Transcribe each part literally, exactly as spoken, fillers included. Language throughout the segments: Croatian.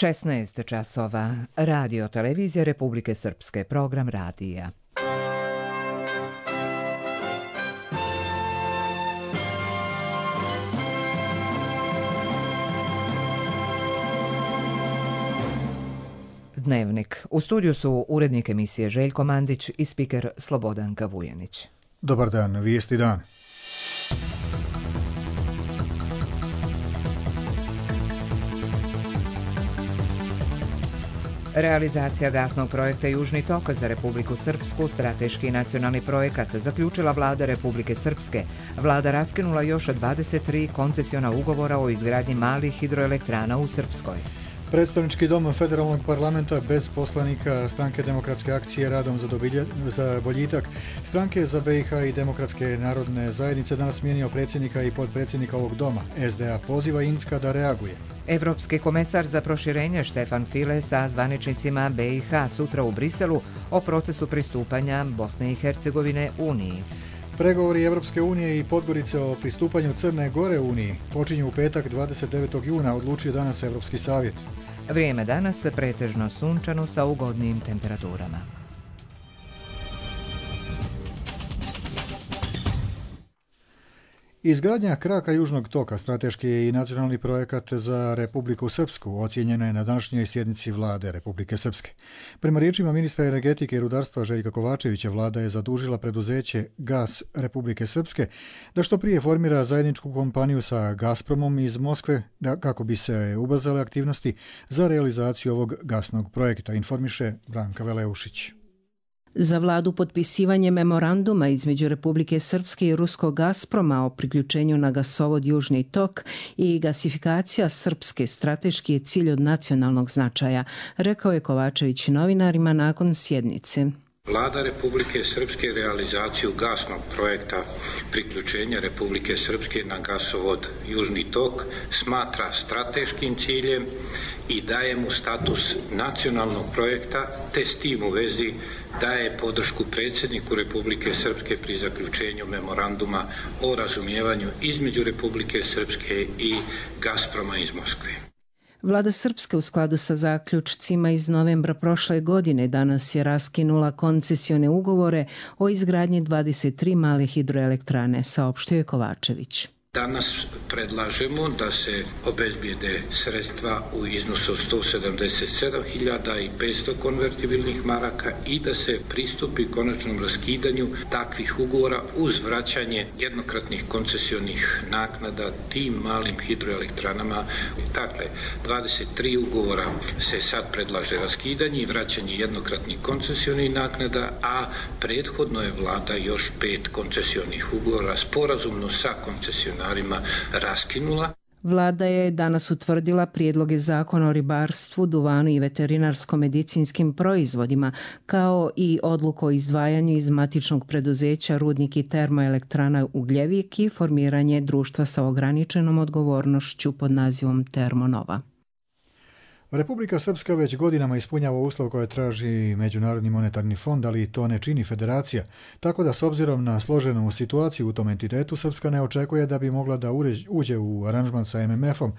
šesnaest časova. Radio televizija Republike Srpske. Program radija. Dnevnik. U studiju su urednik emisije Željko Mandić i spiker Slobodanka Vujanić. Dobar dan, vijesti dan. Realizacija gasnog projekta Južni tok za Republiku Srpsku, strateški nacionalni projekat, zaključila Vlada Republike Srpske. Vlada raskinula još dvadeset tri koncesiona ugovora o izgradnji malih hidroelektrana u Srpskoj. Predstavnički dom federalnog parlamenta bez poslanika Stranke demokratske akcije radom za, dobilje, za boljitak Stranke za be i ha i Demokratske narodne zajednice danas smijenio predsjednika i potpredsjednika ovog doma. es de a poziva Incka da reaguje. Evropski komesar za proširenje Štefan File sa zvaničnicima be i ha sutra u Briselu o procesu pristupanja Bosne i Hercegovine Uniji. Pregovori Evropske unije i Podgorice o pristupanju Crne Gore Uniji počinju u petak dvadeset devetog juna, odlučio danas Evropski savjet. Vrijeme danas pretežno sunčano sa ugodnim temperaturama. Izgradnja kraka Južnog toka strateški je i nacionalni projekat za Republiku Srpsku, ocijenjeno je na današnjoj sjednici Vlade Republike Srpske. Prema riječima ministra energetike i rudarstva Željka Kovačevića, Vlada je zadužila preduzeće Gas Republike Srpske da što prije formira zajedničku kompaniju sa Gazpromom iz Moskve da, kako bi se ubrzale aktivnosti za realizaciju ovog gasnog projekta, informiše Branka Veleušić. Za vladu potpisivanje memoranduma između Republike Srpske i ruskog Gazproma o priključenju na gasovod Južni tok i gasifikacija Srpske strateški je cilj od nacionalnog značaja, rekao je Kovačević novinarima nakon sjednice. Vlada Republike Srpske realizaciju gasnog projekta priključenja Republike Srpske na gasovod Južni tok smatra strateškim ciljem i daje mu status nacionalnog projekta, te s tim u vezi daje podršku predsjedniku Republike Srpske pri zaključenju memoranduma o razumijevanju između Republike Srpske i Gazproma iz Moskve. Vlada Srpske u skladu sa zaključcima iz novembra prošle godine danas je raskinula koncesione ugovore o izgradnji dvadeset tri male hidroelektrane, saopštio je Kovačević. Danas predlažemo da se obezbijede sredstva u iznosu od sto sedamdeset sedam hiljada petsto konvertibilnih maraka i da se pristupi konačnom raskidanju takvih ugovora uz vraćanje jednokratnih koncesionih naknada tim malim hidroelektranama. Dakle, dvadeset tri ugovora se sad predlaže raskidanje i vraćanje jednokratnih koncesionih naknada, a prethodno je vlada još pet koncesionih ugovora sporazumno sa koncesionarima raskinula. Vlada je danas utvrdila prijedloge zakona o ribarstvu, duvanu i veterinarsko-medicinskim proizvodima, kao i odluku o izdvajanju iz matičnog preduzeća Rudnik i termoelektrana Ugljevik i formiranje društva sa ograničenom odgovornošću pod nazivom Termonova. Republika Srpska već godinama ispunjava uslov koje traži Međunarodni monetarni fond, ali to ne čini federacija, tako da s obzirom na složenu situaciju u tom entitetu, Srpska ne očekuje da bi mogla da uđe u aranžman sa em em efom,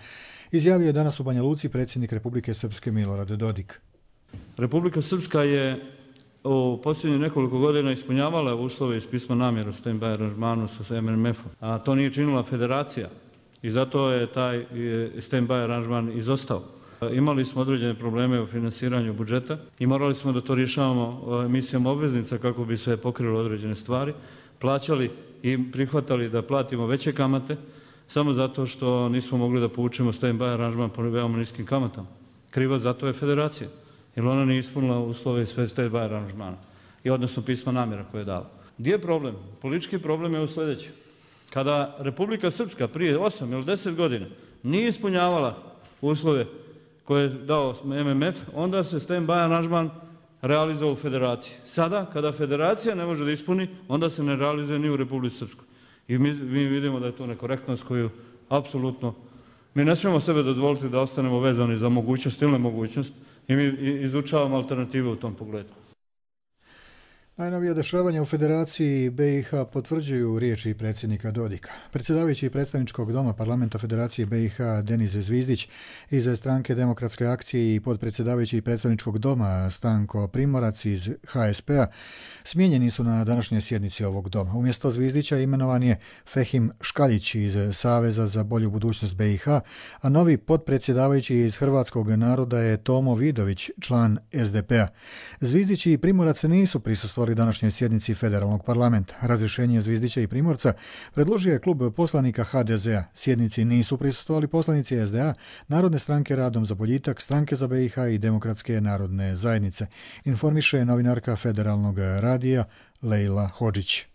izjavio je danas u Banja Luci predsjednik Republike Srpske Milorad Dodik. Republika Srpska je u posljednjih nekoliko godina ispunjavala uslove iz pisma namjeru stand-by aranžmanu sa em em efom, a to nije činila federacija i zato je taj stand-by aranžman izostao. Imali smo određene probleme u finansiranju budžeta i morali smo da to rješavamo emisijom obveznica kako bi se pokrilo određene stvari, plaćali i prihvatali da platimo veće kamate samo zato što nismo mogli da povučemo stand-by aranžman po veoma niskim kamatama. Kriva zato je federacija, jer ona nije ispunila uslove sve stand-by aranžmana i odnosno pisma namjera koje je dala. Gdje je problem? Politički problem je u sljedeće. Kada Republika Srpska prije osam ili deset godina nije ispunjavala uslove koje je dao em em ef, onda se stand-by aranžman realizovao u federaciji. Sada, kada federacija ne može da ispuni, onda se ne realizuje ni u Republici Srpskoj. I mi, mi vidimo da je to nekorektnost koju apsolutno, mi ne smijemo sebe dozvoliti da ostanemo vezani za mogućnost ili nemogućnost i mi izučavamo alternative u tom pogledu. Najnovije dešavanja u Federaciji B i H potvrđuju riječi predsjednika Dodika. Predsjedavajući predstavničkog doma parlamenta Federacije B i H Denis Zvizdić iz stranke Demokratske akcije i podpredsjedavajući predstavničkog doma Stanko Primorac iz H S P-a smijenjeni su na današnjoj sjednici ovog doma. Umjesto Zvizdića imenovan je Fehim Škaljić iz Saveza za bolju budućnost B i H, a novi podpredsjedavajući iz Hrvatskog naroda je Tomo Vidović, član S D P-a. Zvizdić i Primorac nisu prisustvovali današnjoj sjednici federalnog parlamenta. Razrješenje Zvizdića i Primorca predložio je klub poslanika H D Z-a. Sjednici nisu prisustvovali poslanici S D A, Narodne stranke Radom za boljitak, Stranke za B i H i Demokratske narodne zajednice. Informiše novinarka federalnog radija Lejla Hodžić.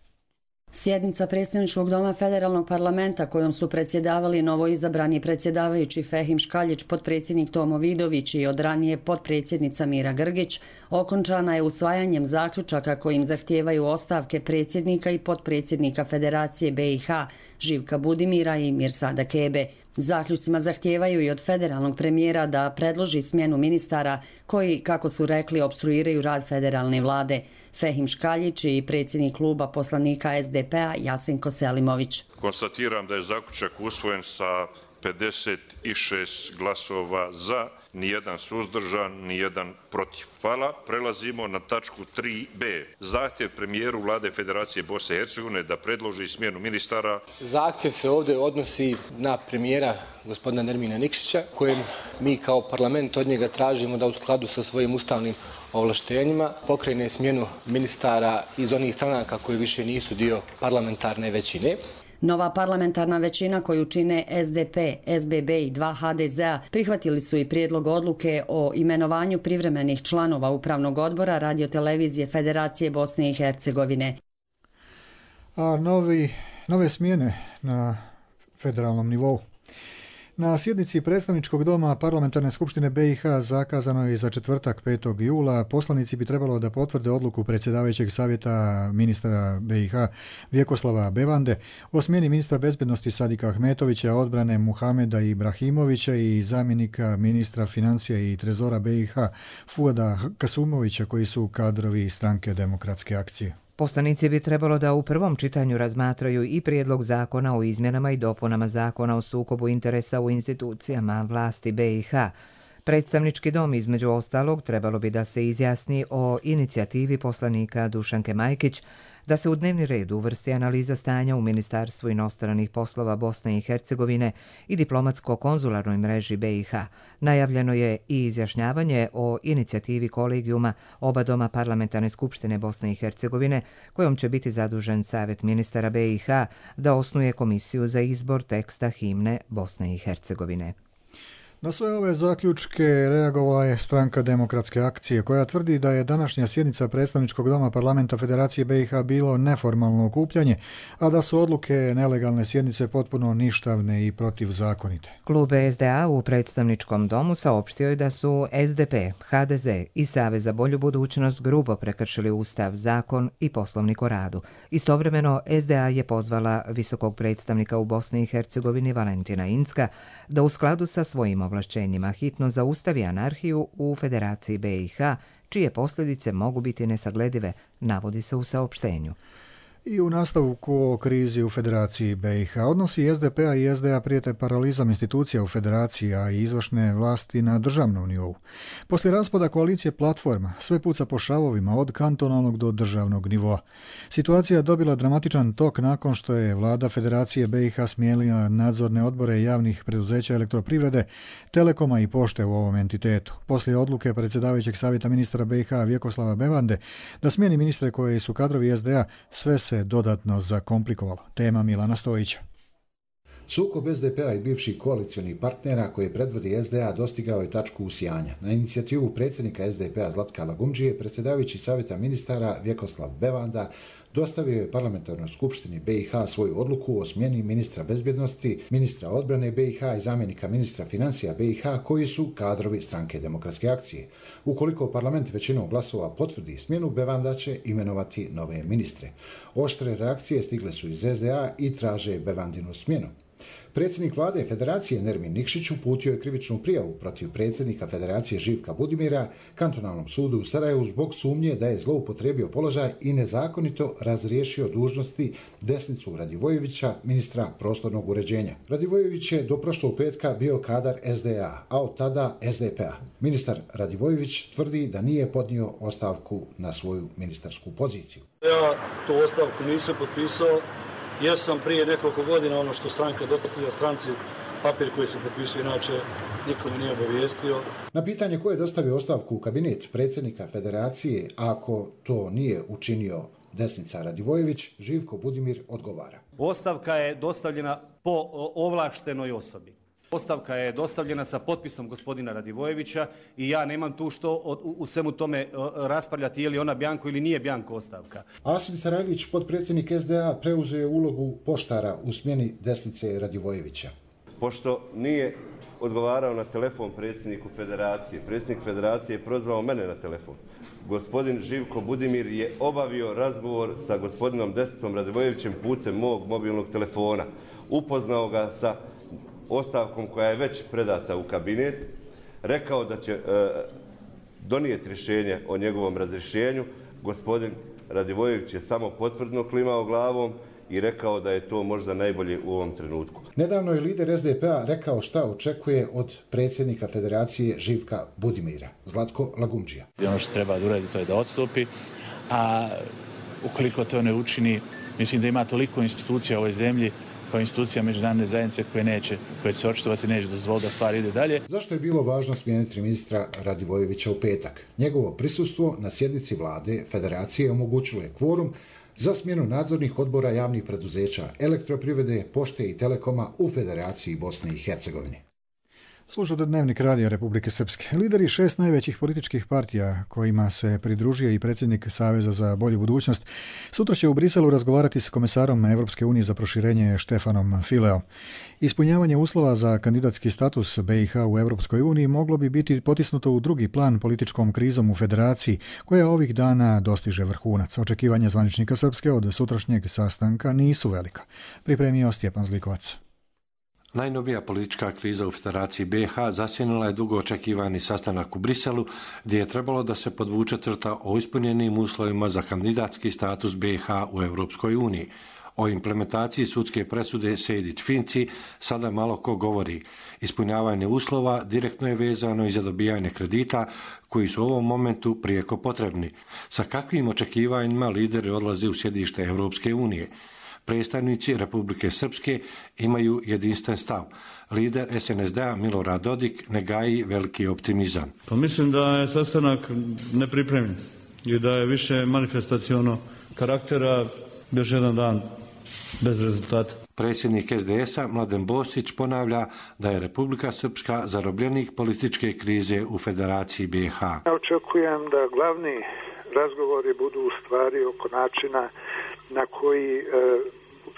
Sjednica predstavničkog doma federalnog parlamenta kojom su predsjedavali novoizabrani predsjedavajući Fehim Škaljić, potpredsjednik Tomo Vidović i od ranije potpredsjednica Mira Grgić, okončana je usvajanjem zaključaka kojim zahtijevaju ostavke predsjednika i potpredsjednika Federacije B i H Živka Budimira i Mirsada Kebe. Zaključcima zahtijevaju i od federalnog premijera da predloži smjenu ministara koji, kako su rekli, opstruiraju rad federalne vlade. Fehim Škaljić i predsjednik kluba poslanika S D P-a Jasenko Selimović. Konstatiram da je zaključak usvojen sa pedeset šest glasova za, nijedan suzdržan, nijedan protiv. Hvala. Prelazimo na tačku tri b. Zahtjev premijeru vlade Federacije Bosne i Hercegovine da predloži smjenu ministara. Zahtjev se ovdje odnosi na premijera gospodina Nermina Nikšića, kojem mi kao parlament od njega tražimo da u skladu sa svojim ustavnim ovlaštenjima pokrene smjenu ministara iz onih stranaka koji više nisu dio parlamentarne većine. Nova parlamentarna većina koju čine S D P, S B B i dva H D Z-a prihvatili su i prijedlog odluke o imenovanju privremenih članova Upravnog odbora Radiotelevizije Federacije Bosne i Hercegovine. A novi, nove smjene na federalnom nivou. Na sjednici predstavničkog doma Parlamentarne skupštine B i H zakazano je za četvrtak petog jula. Poslanici bi trebalo da potvrde odluku predsjedavajućeg savjeta ministra B i H Vjekoslava Bevande o smjeni ministra bezbednosti Sadika Ahmetovića, odbrane Muhameda Ibrahimovića i zamjenika ministra financija i trezora B i H Fuada Kasumovića, koji su kadrovi Stranke Demokratske akcije. Poslanici bi trebalo da u prvom čitanju razmatraju i prijedlog zakona o izmjenama i dopunama zakona o sukobu interesa u institucijama vlasti B i H. Predstavnički dom, između ostalog, trebalo bi da se izjasni o inicijativi poslanika Dušanke Majkić da se u dnevni red uvrsti analiza stanja u Ministarstvu inostranih poslova Bosne i Hercegovine i diplomatsko-konzularnoj mreži B i H. Najavljeno je i izjašnjavanje o inicijativi kolegijuma oba doma Parlamentarne skupštine Bosne i Hercegovine, kojom će biti zadužen Savjet ministara B i H da osnuje komisiju za izbor teksta himne Bosne i Hercegovine. Na sve ove zaključke reagovala je Stranka Demokratske akcije, koja tvrdi da je današnja sjednica predstavničkog doma parlamenta Federacije B i H bilo neformalno okupljanje, a da su odluke nelegalne sjednice potpuno ništavne i protivzakonite. Klub S D A u predstavničkom domu saopštio je da su S D P, H D Z i Savez za bolju budućnost grubo prekršili Ustav, zakon i Poslovnik o radu. Istovremeno, S D A je pozvala visokog predstavnika u Bosni i Hercegovini Valentina Incka da u skladu sa svojim ovlašćenjima hitno zaustavi anarhiju u Federaciji B i H, čije posljedice mogu biti nesagledive, navodi se u saopštenju. I u nastavku o krizi u Federaciji B i H odnosi S D P-a i S D A prijete paralizam institucija u Federaciji, a i izvršne vlasti na državnom nivou. Poslije raspada koalicije Platforma sve puca po šavovima od kantonalnog do državnog nivoa. Situacija je dobila dramatičan tok nakon što je vlada Federacije B i H smijenila nadzorne odbore javnih preduzeća elektroprivrede, Telekoma i Pošte u ovom entitetu. Poslije odluke predsjedavajućeg savjeta ministra B i H Vjekoslava Bevande da smijeni ministre koji su kadrovi S D A, sve se dodatno zakomplikovalo. Tema Milana Stojića. Sukob S D P-a i bivših koalicionih partnera koje predvodi S D A dostigao je tačku usijanja. Na inicijativu predsjednika S D P-a Zlatka Lagumdžije, predsjedavajući savjeta ministara Vjekoslav Bevanda dostavio je parlamentarnoj skupštini B i H svoju odluku o smjeni ministra bezbjednosti, ministra odbrane B i H i zamjenika ministra financija B i H koji su kadrovi Stranke Demokratske akcije. Ukoliko parlament većinom glasova potvrdi smjenu, Bevanda će imenovati nove ministre. Oštre reakcije stigle su iz S D A i traže Bevandinu smjenu. Predsjednik vlade Federacije Nermin Nikšić uputio je krivičnu prijavu protiv predsjednika Federacije Živka Budimira Kantonalnom sudu u Sarajevu zbog sumnje da je zloupotrebio položaj i nezakonito razriješio dužnosti Desnicu Radivojevića, ministra prostornog uređenja. Radivojević je do prošlog petka bio kadar S D A, a od tada S D P A. Ministar Radivojević tvrdi da nije podnio ostavku na svoju ministarsku poziciju. Ja tu ostavku nisam potpisao. Ja sam prije nekoliko godina ono što stranka dostavlja stranci papir koji se potpisuje, inače nikome nije obavijestio. Na pitanje ko je dostavio ostavku u kabinet predsjednika Federacije, ako to nije učinio Desnica Radivojević, Živko Budimir odgovara. Ostavka je dostavljena po ovlaštenoj osobi. Ostavka je dostavljena sa potpisom gospodina Radivojevića i ja nemam tu što u svemu tome raspravljati je li ona bjanko ili nije bjanko ostavka. Asim Sarajlić, potpredsjednik S D A, preuzeo je ulogu poštara u smjeni Desnice Radivojevića. Pošto nije odgovarao na telefon predsjedniku Federacije, predsjednik Federacije je prozvao mene na telefon. Gospodin Živko Budimir je obavio razgovor sa gospodinom Desnicom Radivojevićem putem mog mobilnog telefona. Upoznao ga sa ostavkom koja je već predata u kabinet, rekao da će e, donijeti rješenje o njegovom razrješenju. Gospodin Radivojević je samo potvrdno klimao glavom i rekao da je to možda najbolje u ovom trenutku. Nedavno je lider S D P A rekao šta očekuje od predsjednika Federacije Živka Budimira, Zlatko Lagumdžija. Ono što treba da uradi to je da odstupi, a ukoliko to ne učini, mislim da ima toliko institucija u ovoj zemlji kao institucija međunarodne zajednice koje neće, koje će se očitovati, neće dozvoliti da stvari ide dalje. Zašto je bilo važno smijeniti ministra Radivojevića u petak? Njegovo prisustvo na sjednici vlade Federacije omogućilo je kvorum za smjenu nadzornih odbora javnih preduzeća Elektroprivrede, Pošte i Telekoma u Federaciji Bosne i Hercegovine. Slušate Dnevnik radija Republike Srpske. Lideri šest najvećih političkih partija kojima se pridružio i predsjednik Saveza za bolju budućnost sutra će u Briselu razgovarati s komesarom Evropske unije za proširenje Štefanom Fileom. Ispunjavanje uslova za kandidatski status B i H u Evropskoj uniji moglo bi biti potisnuto u drugi plan političkom krizom u Federaciji, koja ovih dana dostiže vrhunac. Očekivanja zvaničnika Srpske od sutrašnjeg sastanka nisu velika. Pripremio Stjepan Zlikovac. Najnovija politička kriza u Federaciji B i H zasjenila je dugo očekivani sastanak u Briselu, gdje je trebalo da se podvuče crta o ispunjenim uslovima za kandidatski status B i H u Europskoj uniji. O implementaciji sudske presude Sejdić-Finci sada malo ko govori. Ispunjavanje uslova direktno je vezano i za dobijanje kredita koji su u ovom momentu prijeko potrebni. Sa kakvim očekivanjima lideri odlaze u sjedište Europske unije? Predstavnici Republike Srpske imaju jedinstven stav. Lider S N S D-a Milorad Dodik ne gaji veliki optimizam. Pa mislim da je sastanak nepripremljen i da je više manifestaciono karaktera, još jedan dan bez rezultata. Predsjednik S D S-a Mladen Bosić ponavlja da je Republika Srpska zarobljenik političke krize u Federaciji B i H. Očekujem da glavni razgovori budu u stvari oko načina na koji, e,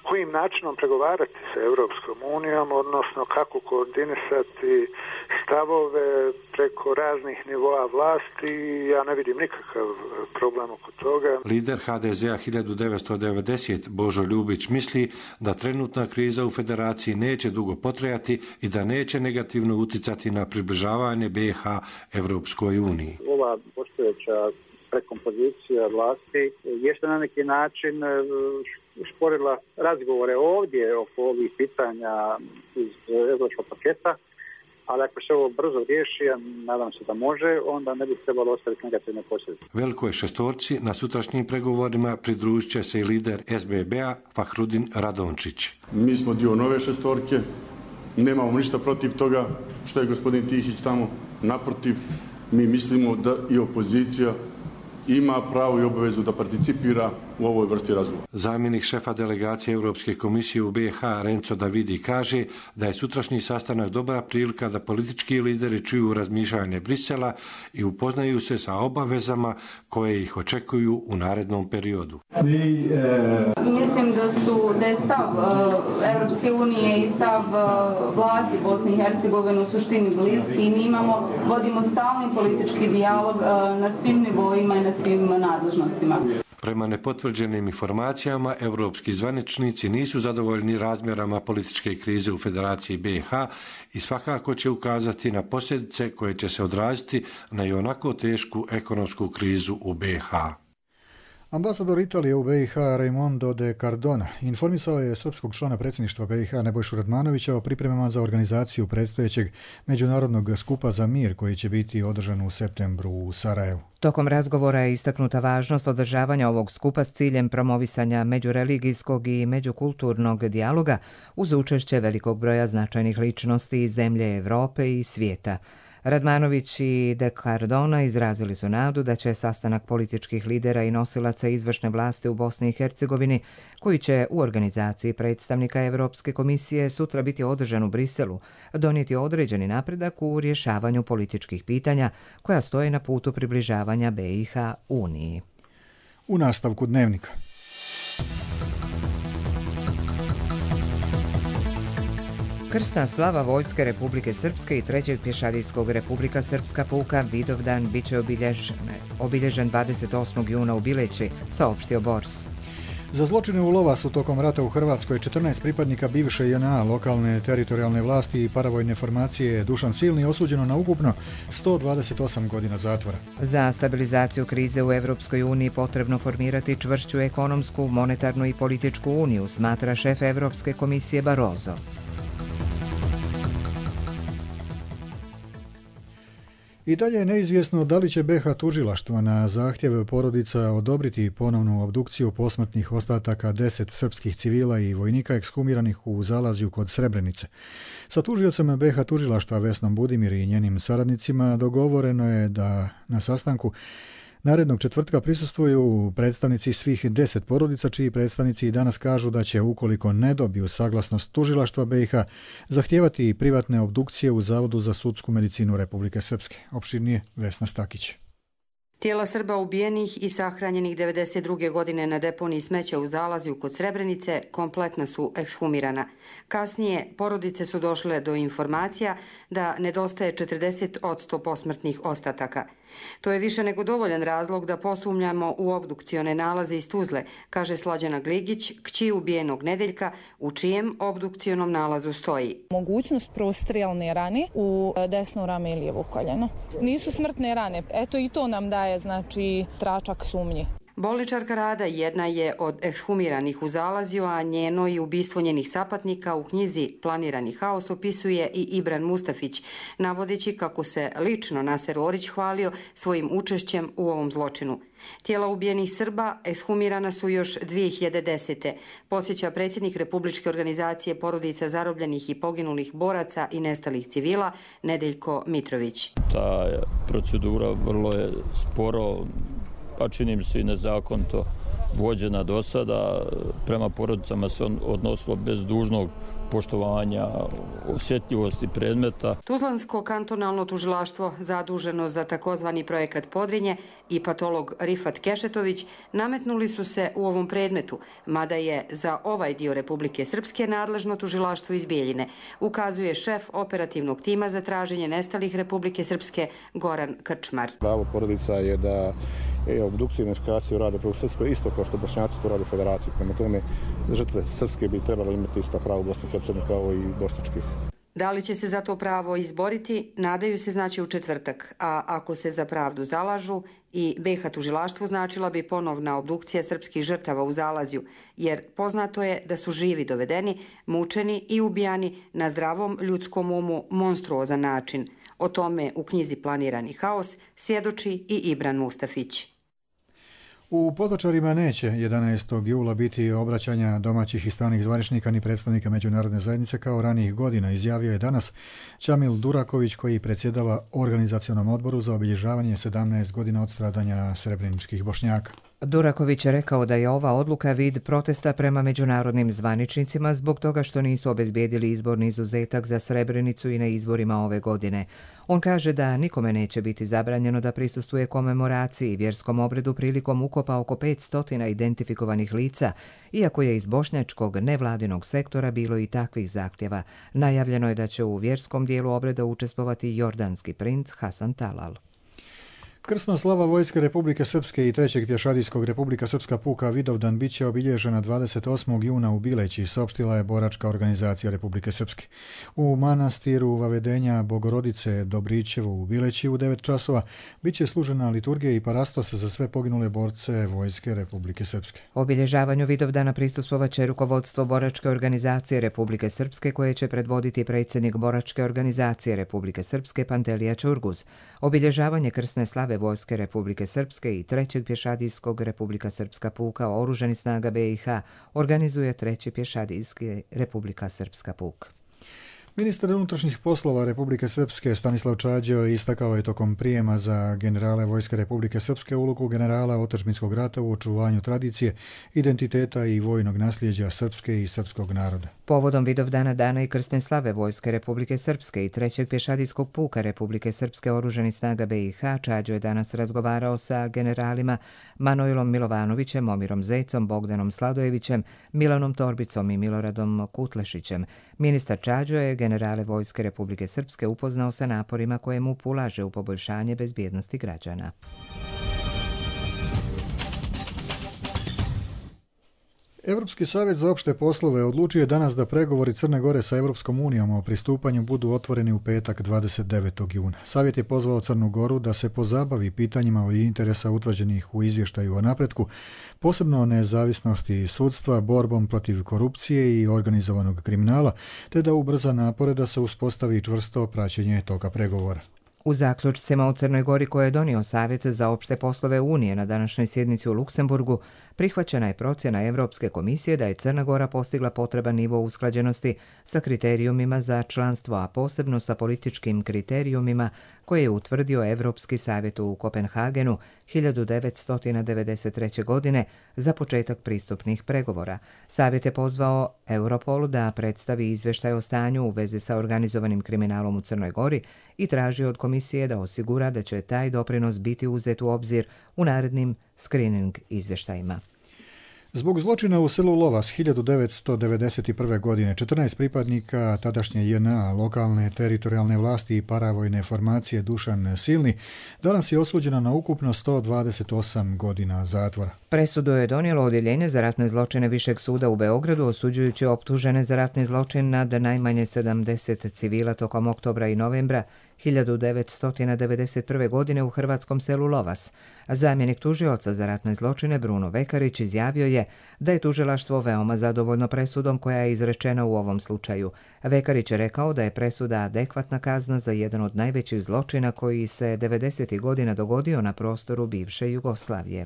kojim načinom pregovarati sa Europskom unijom, odnosno kako koordinisati stavove preko raznih nivoa vlasti. Ja ne vidim nikakav problem oko toga. Lider H D Z-a hiljadu devetsto devedeset Božo Ljubić misli da trenutna kriza u Federaciji neće dugo potrajati i da neće negativno uticati na približavanje B i H Evropskoj uniji. Ova postojeća prekompozicija vlasti jeste na neki način usporila razgovore ovdje oko ovih pitanja iz evropskog paketa, ali ako se ovo brzo riješi, ja nadam se da može, onda ne bi trebalo ostaviti negativne posljedice. Velikoj šestorci na sutrašnjim pregovorima pridružit će se i lider S B B-a Fahrudin Radončić. Mi smo dio nove šestorke, nemamo ništa protiv toga što je gospodin Tihić tamo. Naprotiv, mi mislimo da i opozicija ima pravo i obavezu da participira u ovoj vrsti razgovora. Zamjenik šefa delegacije Europske komisije u B i H Renzo Davidi kaže da je sutrašnji sastanak dobra prilika da politički lideri čuju razmišljanje Brisela i upoznaju se sa obavezama koje ih očekuju u narednom periodu. Mislim da su da je stav Europske unije i stav vlasti Bosne i Hercegovine u suštini bliski i mi imamo, vodimo stalni politički dijalog na svim nivoima i na svim nadležnostima. Prema nepotvrđenim informacijama, europski zvaničnici nisu zadovoljni razmjerama političke krize u Federaciji B i H i svakako će ukazati na posljedice koje će se odraziti na i onako tešku ekonomsku krizu u B i H. Ambasador Italije u B i H Raimondo de Cardona informisao je srpskog člana predsjedništva B i H Nebojšu Radmanovića o pripremama za organizaciju predstojećeg međunarodnog skupa za mir koji će biti održan u septembru u Sarajevu. Tokom razgovora je istaknuta važnost održavanja ovog skupa s ciljem promovisanja međureligijskog i međukulturnog dijaloga uz učešće velikog broja značajnih ličnosti iz zemlje Evrope i svijeta. Radmanović i de Cardona izrazili su nadu da će sastanak političkih lidera i nosilaca izvršne vlasti u Bosni i Hercegovini, koji će u organizaciji predstavnika Evropske komisije sutra biti održan u Briselu, donijeti određeni napredak u rješavanju političkih pitanja koja stoje na putu približavanja B i H Uniji. U nastavku dnevnika. Krsna slava Vojske Republike Srpske i trećeg pješadijskog Republika Srpska puka Vidovdan bit će obilježen, obilježen dvadeset osmog juna u Bileći, saopštio Bors. Za zločine u Lovasu tokom rata u Hrvatskoj četrnaest pripadnika bivše J N A, lokalne teritorijalne vlasti i paravojne formacije Dušan Silni osuđeno na ukupno sto dvadeset osam godina zatvora. Za stabilizaciju krize u Evropskoj uniji potrebno formirati čvršću ekonomsku, monetarnu i političku uniju, smatra šef Evropske komisije Barroso. I dalje je neizvjesno da li će B i H tužilaštvo na zahtjev porodica odobriti ponovnu obdukciju posmrtnih ostataka deset srpskih civila i vojnika ekshumiranih u Zalazju kod Srebrenice. Sa tužiocem B i H tužilaštva Vesnom Budimir i njenim saradnicima dogovoreno je da na sastanku narednog četvrtka prisustvuju predstavnici svih deset porodica, čiji predstavnici i danas kažu da će, ukoliko ne dobiju saglasnost tužilaštva B i H, zahtijevati privatne obdukcije u Zavodu za sudsku medicinu Republike Srpske. Opširnije Vesna Stakić. Tijela Srba ubijenih i sahranjenih devedeset druge godine na deponiji smeća u Zalazju kod Srebrenice kompletno su ekshumirana. Kasnije porodice su došle do informacija da nedostaje četrdeset posto posmrtnih ostataka. To je više nego dovoljan razlog da posumnjamo u obdukcione nalaze iz Tuzle, kaže Slađana Gligić, kći ubijenog Nedeljka, u čijem obdukcionom nalazu stoji. Mogućnost prostrijalne rane u desno rame i lijevo koljeno. Nisu smrtne rane, eto i to nam daje znači tračak sumnje. Bolničarka Rada jedna je od ekshumiranih u Zalazju, a njeno i ubistvo njenih sapatnika u knjizi Planirani haos opisuje i Ibran Mustafić, navodeći kako se lično Naser Orić hvalio svojim učešćem u ovom zločinu. Tijela ubijenih Srba ekshumirana su još dvije hiljade desete. Podsjeća predsjednik Republičke organizacije porodica zarobljenih i poginulih boraca i nestalih civila Nedeljko Mitrović. Ta procedura vrlo je sporo, pa čini mi se i nezakonito vođena do sada. Prema porodicama se odnosilo bez dužnog poštovanja osjetljivosti predmeta. Tuzlansko kantonalno tužilaštvo zaduženo za takozvani projekat Podrinje i patolog Rifat Kešetović nametnuli su se u ovom predmetu, mada je za ovaj dio Republike Srpske nadležno tužilaštvo iz Bijeljine, ukazuje šef operativnog tima za traženje nestalih Republike Srpske Goran Krčmar. Pravo porodica je da je obdukciju i identifikaciju rade u Srpskoj isto kao što Bošnjaci to rade u Federaciji. Prema tome, žrtve Srpske bi trebalo imati ista prava u Bosni i Hercegovini kao i bošnjačkih. Da li će se za to pravo izboriti, nadaju se znači u četvrtak, a ako se za pravdu zalažu, i B i H tužilaštvu značila bi ponovna obdukcija srpskih žrtava u Zalazju, jer poznato je da su živi dovedeni, mučeni i ubijani na zdravom ljudskom umu monstruozan način. O tome u knjizi Planirani haos svjedoči i Ibran Mustafić. U Potočarima neće jedanaestog jula biti obraćanja domaćih i stranih zvaničnika ni predstavnika međunarodne zajednice kao ranijih godina, izjavio je danas Čamil Duraković, koji predsjedava Organizacionom odboru za obilježavanje sedamnaest godina od stradanja srebreničkih Bošnjaka. Duraković je rekao da je ova odluka vid protesta prema međunarodnim zvaničnicima zbog toga što nisu obezbijedili izborni izuzetak za Srebrenicu i na izborima ove godine. On kaže da nikome neće biti zabranjeno da prisustvuje komemoraciji i vjerskom obredu prilikom ukopa oko petsto identifikovanih lica, iako je iz bošnjačkog nevladinog sektora bilo i takvih zahtjeva. Najavljeno je da će u vjerskom dijelu obreda učestvovati jordanski princ Hasan Talal. Krsna slava Vojske Republike Srpske i trećeg pješadijskog Republika Srpska puka Vidovdan bit će obilježena dvadeset osmog juna u Bileći, saopštila je boračka organizacija Republike Srpske. U manastiru Vavedenja Bogorodice Dobrićevo u Bileći u devet časova bit će služena liturgija i parastos za sve poginule borce Vojske Republike Srpske. Obilježavanju Vidovdana prisustvovaće rukovodstvo boračke organizacije Republike Srpske koje će predvoditi predsjednik boračke organizacije Republike Srpske Pantelija Ćurguz. Obilježavanje krsne slave Vojske Republike Srpske i trećeg pješadijskog Republika Srpska puka Oružanih snaga B i H organizuje treći pješadijski Republika Srpska puk. Ministar unutrašnjih poslova Republike Srpske Stanislav Čađo istakao je tokom prijema za generale Vojske Republike Srpske ulogu generala otadžbinskog rata u očuvanju tradicije, identiteta i vojnog nasljeđa srpske i srpskog naroda. Povodom Vidovdana dana i krsne slave Vojske Republike Srpske i trećeg pješadijskog puka Republike Srpske Oružanih snaga B i H Čađo je danas razgovarao sa generalima Manojlom Milovanovićem, Momirom Zecom, Bogdanom Sladojevićem, Milanom Torbicom i Miloradom Kutlešićem. Ministar Čađo je generale Vojske Republike Srpske upoznao sa naporima koje mu ulaže u poboljšanje bezbjednosti građana. Evropski savjet za opšte poslove odlučio je danas da pregovori Crne Gore sa Evropskom unijom o pristupanju budu otvoreni u petak dvadeset devetog juna. Savjet je pozvao Crnu Goru da se pozabavi pitanjima od interesa utvrđenih u izvještaju o napretku, posebno o nezavisnosti sudstva, borbom protiv korupcije i organizovanog kriminala, te da ubrza napore da se uspostavi čvrsto praćenje toga pregovora. U zaključcima u Crnoj Gori koje je donio Savjet za opšte poslove Unije na današnjoj sjednici u Luksemburgu, prihvaćena je procjena Evropske komisije da je Crna Gora postigla potreban nivo usklađenosti sa kriterijumima za članstvo, a posebno sa političkim kriterijumima koje je utvrdio Evropski savjet u Kopenhagenu hiljadu devetsto devedeset treće. godine za početak pristupnih pregovora. Savjet je pozvao Europol da predstavi izvještaj o stanju u vezi sa organizovanim kriminalom u Crnoj Gori i traži od komisije da osigura da će taj doprinos biti uzet u obzir u narednim screening izvještajima. Zbog zločina u selu Lovas hiljadu devetsto devedeset prve. godine četrnaest pripadnika tadašnje J N A, lokalne teritorijalne vlasti i paravojne formacije Dušan Silni danas je osuđena na ukupno sto dvadeset osam godina zatvora. Presudu je donijelo Odjeljenje za ratne zločine Višeg suda u Beogradu, osuđujući optužene za ratni zločin nad najmanje sedamdeset civila tokom oktobra i novembra hiljadu devetsto devedeset prve. godine u hrvatskom selu Lovas. Zamjenik tužioca za ratne zločine Bruno Vekarić izjavio je da je tužilaštvo veoma zadovoljno presudom koja je izrečena u ovom slučaju. Vekarić je rekao da je presuda adekvatna kazna za jedan od najvećih zločina koji se devedesetih godina dogodio na prostoru bivše Jugoslavije.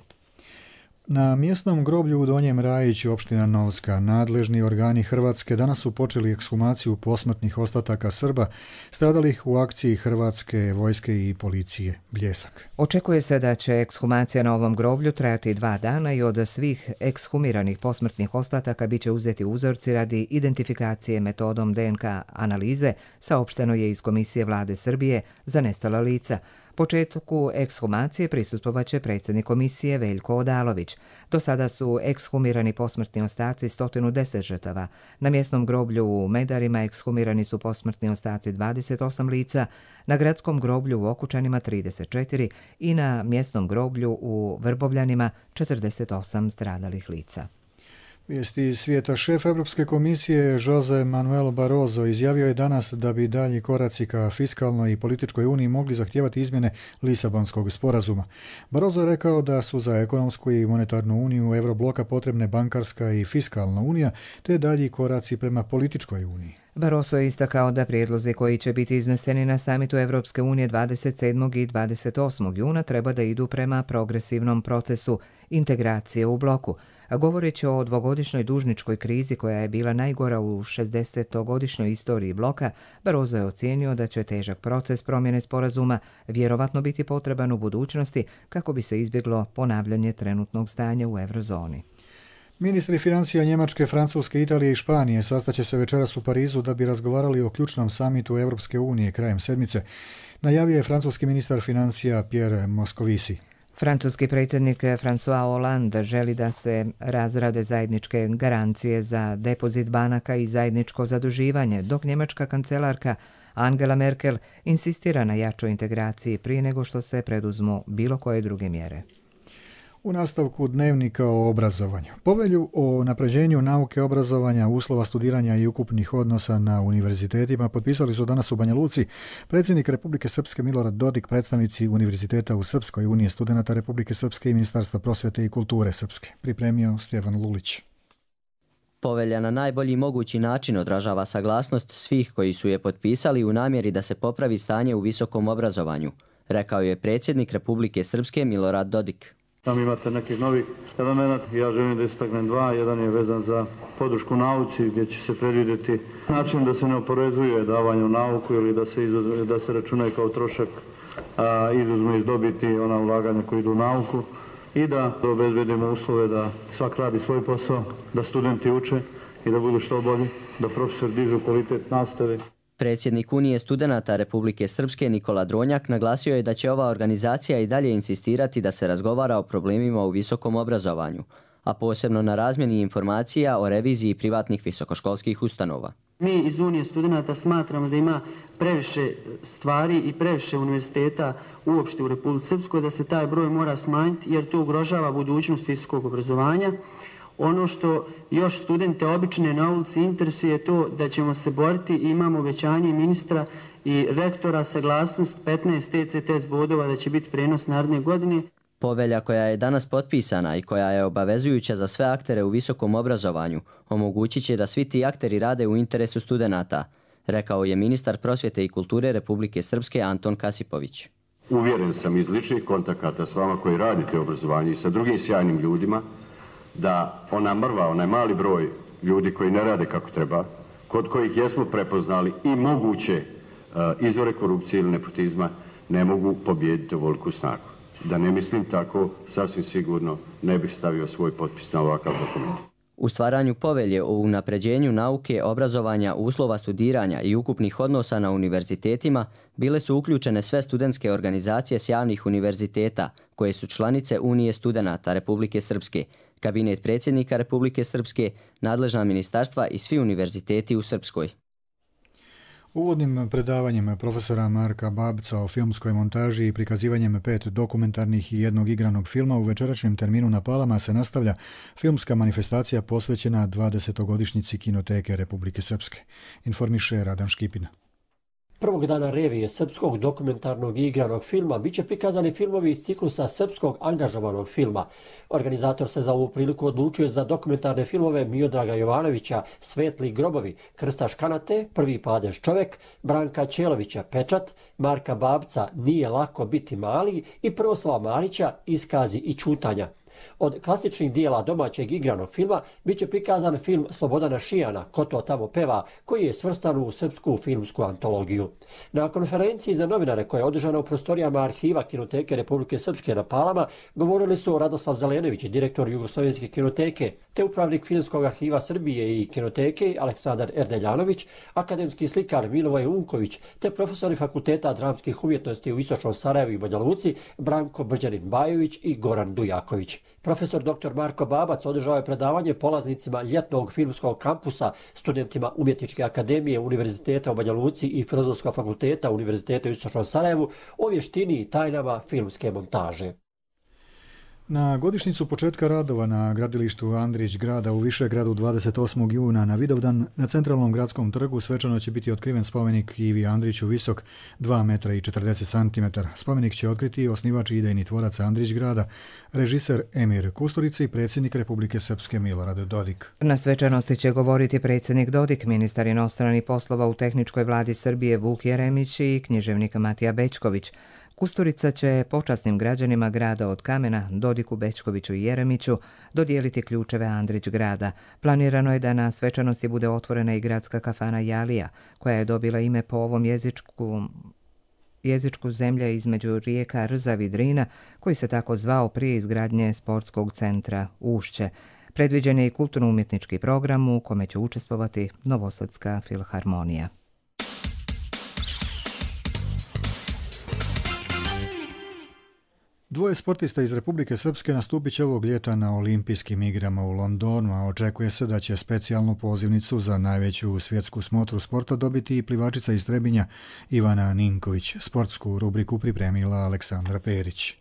Na mjesnom groblju u Donjem Rajiću, opština Novska, nadležni organi Hrvatske danas su počeli ekshumaciju posmrtnih ostataka Srba stradalih u akciji Hrvatske vojske i policije Bljesak. Očekuje se da će ekshumacija na ovom groblju trajati dva dana i od svih ekshumiranih posmrtnih ostataka biće uzeti uzorci radi identifikacije metodom D N K analize, saopšteno je iz Komisije vlade Srbije za nestala lica. Početku ekshumacije prisustvovaće predsjednik komisije Veljko Odalović. Do sada su ekshumirani posmrtni ostaci sto deset žrtava. Na mjesnom groblju u Medarima ekshumirani su posmrtni ostaci dvadeset osam lica, na gradskom groblju u Okučanima trideset četiri i na mjesnom groblju u Vrbovljanima četrdeset osam stradalih lica. Vijesti iz svijeta. Šef Europske komisije Jose Manuel Barroso izjavio je danas da bi dalji koraci ka fiskalnoj i političkoj uniji mogli zahtijevati izmjene Lisabonskog sporazuma. Barroso je rekao da su za ekonomsku i monetarnu uniju Eurobloka potrebne bankarska i fiskalna unija, te dalji koraci prema političkoj uniji. Barroso je istakao da prijedlozi koji će biti izneseni na samitu Evropske unije dvadeset sedmog i dvadeset osmog juna treba da idu prema progresivnom procesu integracije u bloku. Govoreći o dvogodišnjoj dužničkoj krizi koja je bila najgora u šezdesetogodišnjoj istoriji bloka, Barroso je ocijenio da će težak proces promjene sporazuma vjerovatno biti potreban u budućnosti kako bi se izbjeglo ponavljanje trenutnog stanja u eurozoni. Ministri financija Njemačke, Francuske, Italije i Španije sastaće se večeras u Parizu da bi razgovarali o ključnom samitu Evropske unije krajem sedmice, najavio je francuski ministar financija Pierre Moscovici. Francuski predsjednik François Hollande želi da se razrade zajedničke garancije za depozit banaka i zajedničko zaduživanje, dok njemačka kancelarka Angela Merkel insistira na jačoj integraciji prije nego što se preduzmu bilo koje druge mjere. U nastavku dnevnika o obrazovanju. Povelju o napređenju nauke, obrazovanja, uslova studiranja i ukupnih odnosa na univerzitetima potpisali su danas u Banja Luci predsjednik Republike Srpske Milorad Dodik, predstavnici univerziteta u Srpskoj, Unije studenata Republike Srpske i Ministarstva prosvjete i kulture Srpske. Pripremio Stjepan Lulić. Povelja na najbolji mogući način odražava saglasnost svih koji su je potpisali u namjeri da se popravi stanje u visokom obrazovanju, rekao je predsjednik Republike Srpske Milorad Dodik. Tam imate nekih novih elemenata. Ja želim da istaknem dva. Jedan je vezan za podršku nauci gdje će se predvidjeti način da se ne oporezuje davanje u nauku ili da se, izuz, da se računaju kao trošak, a izuzmu iz dobiti ona ulaganja koji idu u nauku i da obezbedimo uslove da svak radi svoj posao, da studenti uče i da budu što bolji, da profesor dižu kvalitet nastave. Predsjednik Unije studenata Republike Srpske Nikola Dronjak naglasio je da će ova organizacija i dalje insistirati da se razgovara o problemima u visokom obrazovanju, a posebno na razmjeni informacija o reviziji privatnih visokoškolskih ustanova. Mi iz Unije studenata smatramo da ima previše stvari i previše univerziteta uopšte u Republici Srpskoj, da se taj broj mora smanjiti jer to ugrožava budućnost visokog obrazovanja. Ono što još studente obične na ulici interesuje je to da ćemo se boriti i imamo obećanje ministra i rektora saglasnost petnaest T C T S bodova da će biti prenos naredne godine. Povelja koja je danas potpisana i koja je obavezujuća za sve aktere u visokom obrazovanju omogućit će da svi ti akteri rade u interesu studenata, rekao je ministar prosvjete i kulture Republike Srpske Anton Kasipović. Uvjeren sam iz ličnih kontakata s vama koji radite obrazovanje i sa drugim sjajnim ljudima da ona mrva, onaj mali broj ljudi koji ne rade kako treba, kod kojih jesmo prepoznali i moguće uh, izvore korupcije ili nepotizma, ne mogu pobijediti ovoliku snagu. Da ne mislim tako, sasvim sigurno ne bih stavio svoj potpis na ovakav dokument. U stvaranju povelje o unapređenju nauke, obrazovanja, uslova studiranja i ukupnih odnosa na univerzitetima bile su uključene sve studentske organizacije s javnih univerziteta koje su članice Unije studenata Republike Srpske, kabinet predsjednika Republike Srpske, nadležna ministarstva i svi univerziteti u Srpskoj. Uvodnim predavanjem profesora Marka Babca o filmskoj montaži i prikazivanjem pet dokumentarnih i jednog igranog filma u večerašnjem terminu na Palama se nastavlja filmska manifestacija posvećena dvadesetogodišnjici Kinoteke Republike Srpske. Informiše Radan Škipina. Prvog dana revije srpskog dokumentarnog i igranog filma biće prikazani filmovi iz ciklusa srpskog angažovanog filma. Organizator se za ovu priliku odlučio za dokumentarne filmove Miodraga Jovanovića Svetli grobovi, Krsta Škanate, Prvi padež čovek, Branka Ćelovića Pečat, Marka Babca Nije lako biti mali i Proslava Marića Iskazi i čutanja. Od klasičnih dijela domaćeg igranog filma biće prikazan film Slobodana Šijana Ko to tamo peva, koji je svrstan u srpsku filmsku antologiju. Na konferenciji za novinare koja je održana u prostorijama arhiva Kinoteke Republike Srpske na Palama govorili su Radoslav Zelenović, direktor Jugoslovenske kinoteke, te upravnik Filmskog arhiva Srbije i kinoteke Aleksandar Erdeljanović, akademski slikar Milivoj Unković, te profesori Fakulteta dramskih umjetnosti u Istočnom Sarajevu i Banja Luci Branko Brđanin-Bajović i Goran Dujaković. Profesor doktor Marko Babac održao je predavanje polaznicima ljetnog filmskog kampusa, studentima Umjetničke akademije Univerziteta u Banja Luci i Filozofskog fakulteta Univerziteta u Istočnom Sarajevu o vještini i tajnama filmske montaže. Na godišnjicu početka radova na gradilištu Andrić grada u Višegradu dvadeset osmog juna na Vidovdan na centralnom gradskom trgu svečano će biti otkriven spomenik Ivi Andriću visok dva metra i četrdeset centimetara. Spomenik će otkriti osnivač i idejni tvorac Andrić grada, režiser Emir Kusturica i predsjednik Republike Srpske Milorad Dodik. Na svečanosti će govoriti predsjednik Dodik, ministar inostranih poslova u tehničkoj vladi Srbije Vuk Jeremić i književnik Matija Bećković. Kusturica će počasnim građanima grada od kamena, Dodiku, Bećkoviću i Jeremiću, dodijeliti ključeve Andrić grada. Planirano je da na svečanosti bude otvorena i gradska kafana Jalija, koja je dobila ime po ovom jezičku, jezičku zemlja između rijeka Rzav i Drina, koji se tako zvao prije izgradnje sportskog centra Ušće. Predviđen je i kulturno-umjetnički program u kome će učestvovati Novosadska filharmonija. Dvoje sportista iz Republike Srpske nastupit će ovog ljeta na olimpijskim igrama u Londonu, a očekuje se da će specijalnu pozivnicu za najveću svjetsku smotru sporta dobiti i plivačica iz Trebinja Ivana Ninković. Sportsku rubriku pripremila Aleksandra Perić.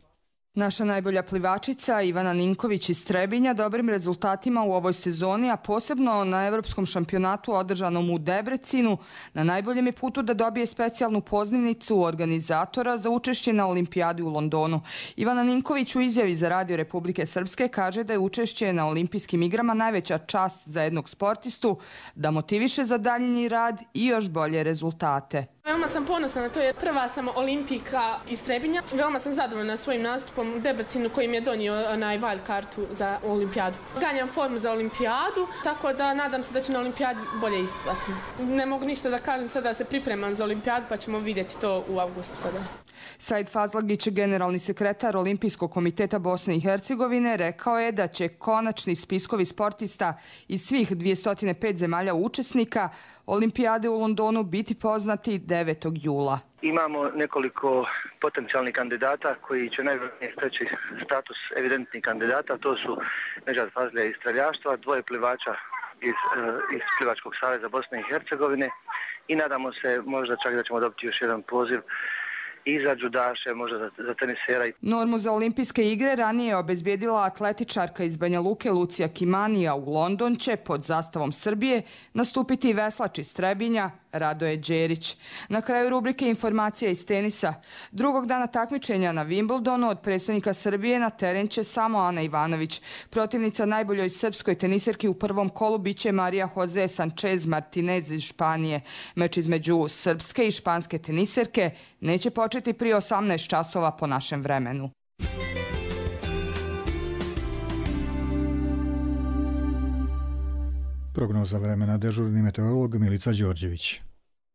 Naša najbolja plivačica Ivana Ninković iz Trebinja dobrim rezultatima u ovoj sezoni, a posebno na Evropskom šampionatu održanom u Debrecinu, na najboljem je putu da dobije specijalnu pozivnicu organizatora za učešće na olimpijadi u Londonu. Ivana Ninković u izjavi za Radio Republike Srpske kaže da je učešće na olimpijskim igrama najveća čast za jednog sportistu, da motiviše za daljnji rad i još bolje rezultate. Veoma sam ponosna na to jer prva sam olimpijka iz Trebinja. Veoma sam zadovoljna svojim nastupom u Debrecinu koji mi je donio onaj wild kartu za olimpijadu. Ganjam formu za olimpijadu, tako da nadam se da će na olimpijadi bolje isplati. Ne mogu ništa da kažem sada da se pripremam za olimpijadu, pa ćemo vidjeti to u avgustu sada. Said Fazlagić, generalni sekretar Olimpijskog komiteta Bosne i Hercegovine, rekao je da će konačni spiskovi sportista iz svih dvjesto pet zemalja učesnika olimpijade u Londonu biti poznati devetog jula. Imamo nekoliko potencijalnih kandidata koji će najvjerojatnije steći status evidentnih kandidata. To su Nedžad Fazlija iz streljaštva, dvoje plivača iz, iz Plivačkog saveza Bosne i Hercegovine i nadamo se možda čak da ćemo dobiti još jedan poziv i za džudaše, možda za, za tenisera. Normu za olimpijske igre ranije je obezbijedila atletičarka iz Banja Luke Lucija Kimanija. U London će pod zastavom Srbije nastupiti veslač iz Trebinja Radoje Đerić. Na kraju rubrike informacija iz tenisa. Drugog dana takmičenja na Wimbledonu od predstavnika Srbije na teren će samo Ana Ivanović. Protivnica najboljoj srpskoj teniserki u prvom kolu biće Marija Jose Sanchez Martinez iz Španije. Meč između srpske i španske teniserke neće početi prije osamnaest časova po našem vremenu. Prognoza vremena, dežurni meteorolog Milica Đorđević.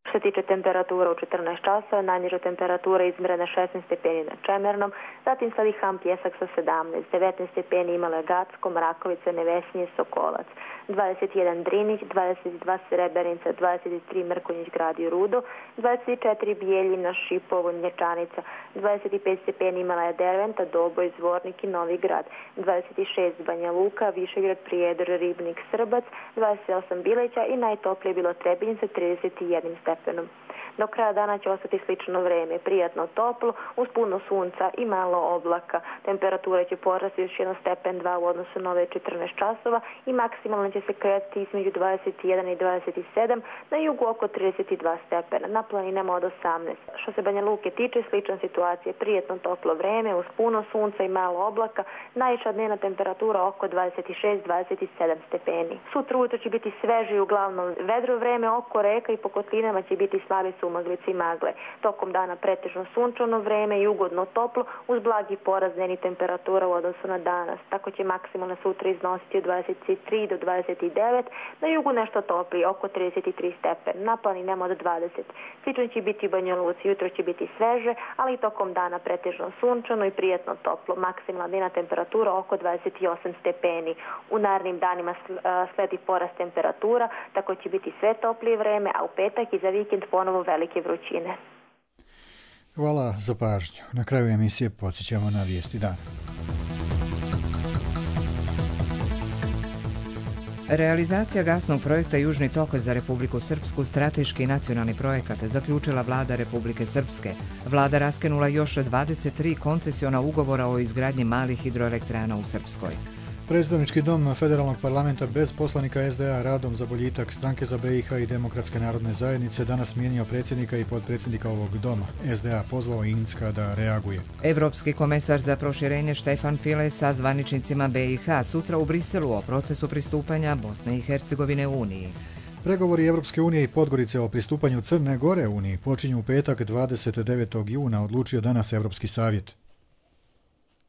Što se tiče temperatura u četrnaest časova, najniža temperatura izmjerena šesnaest stepeni na Čemernom, zatim sledi Ham Pjesak sa sedamnaest, devetnaest stepeni imale Gacko, Mrakovica, Nevesinje, Sokolac, dvadeset jedan Drinić, dvadeset dva Srebrenica, dvadeset tri Mrkonjić grad i Rudo, dvadeset četiri Bijeljina, Šipovo, Nječanica, dvadeset pet stepeni imala je Derventa, Doboj, Zvornik i Novi Grad, dvadeset šest Banja Luka, Višegrad, Prijedor, Ribnik, Srbac, dvadeset osam Bileća i najtoplije bilo Trebinjica trideset jedan stepenom. Do kraja dana će ostati slično vreme, prijatno toplo, uz puno sunca i malo oblaka. Temperatura će porasti još jedan stepen dva u odnosu na ove četrnaest časova i maksimalno će se kretati između dvadeset jedan i dvadeset sedam, na jugu oko trideset dva stepena, na planinama od osamnaest. Što se Banja Luke tiče, slična situacija, prijatno toplo vreme, uz puno sunca i malo oblaka, najviša dnevna temperatura oko dvadeset šest do dvadeset sedam stepeni. Sutra ujutro će biti sveže i uglavnom vedro vreme, oko reka i po kotlinama će biti slabi sumaglice i magle. Tokom dana pretežno sunčano vreme i ugodno toplo uz blagi porast dnevnih temperatura u odnosu na danas. Tako će maksimalno sutra iznositi od dvadeset tri do dvadeset devet, na jugu nešto toplije, oko trideset tri stepena, na planinama od dvadeset. Slično će biti u Banja Luci, jutro će biti sveže, ali i tokom dana pretežno sunčano i prijatno toplo. Maksimalna dnevna temperatura oko dvadeset osam stepeni. U narednim danima sledi porast temperatura, tako će biti sve toplije vreme, a u petak i za vikend ponovo velike vrućine. Hvala za pažnju. Na kraju emisije podsjećamo na vijesti dana. Realizacija gasnog projekta Južni tok za Republiku Srpsku strateški nacionalni projekat zaključila vlada Republike Srpske. Vlada raskinula još dvadeset tri koncesiona ugovora o izgradnji malih hidroelektrana u Srpskoj. Predstavnički dom Federalnog parlamenta bez poslanika es de a radom za boljitak Stranke za be i ha i Demokratske narodne zajednice danas smijenio predsjednika i potpredsjednika ovog doma. es de a pozvao Incka da reaguje. Evropski komesar za proširenje Štefan File sa zvaničnicima be i ha sutra u Briselu o procesu pristupanja Bosne i Hercegovine Uniji. Pregovori Evropske unije i Podgorice o pristupanju Crne Gore Uniji počinju u petak dvadeset devetog juna, odlučio danas Evropski savjet.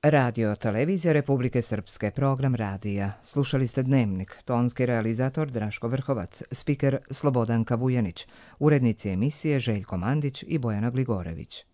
Radio Televizija Republike Srpske, program radija. Slušali ste Dnevnik, tonski realizator Draško Vrhovac, spiker Slobodanka Vujanić, urednici emisije Željko Mandić i Bojana Gligorević.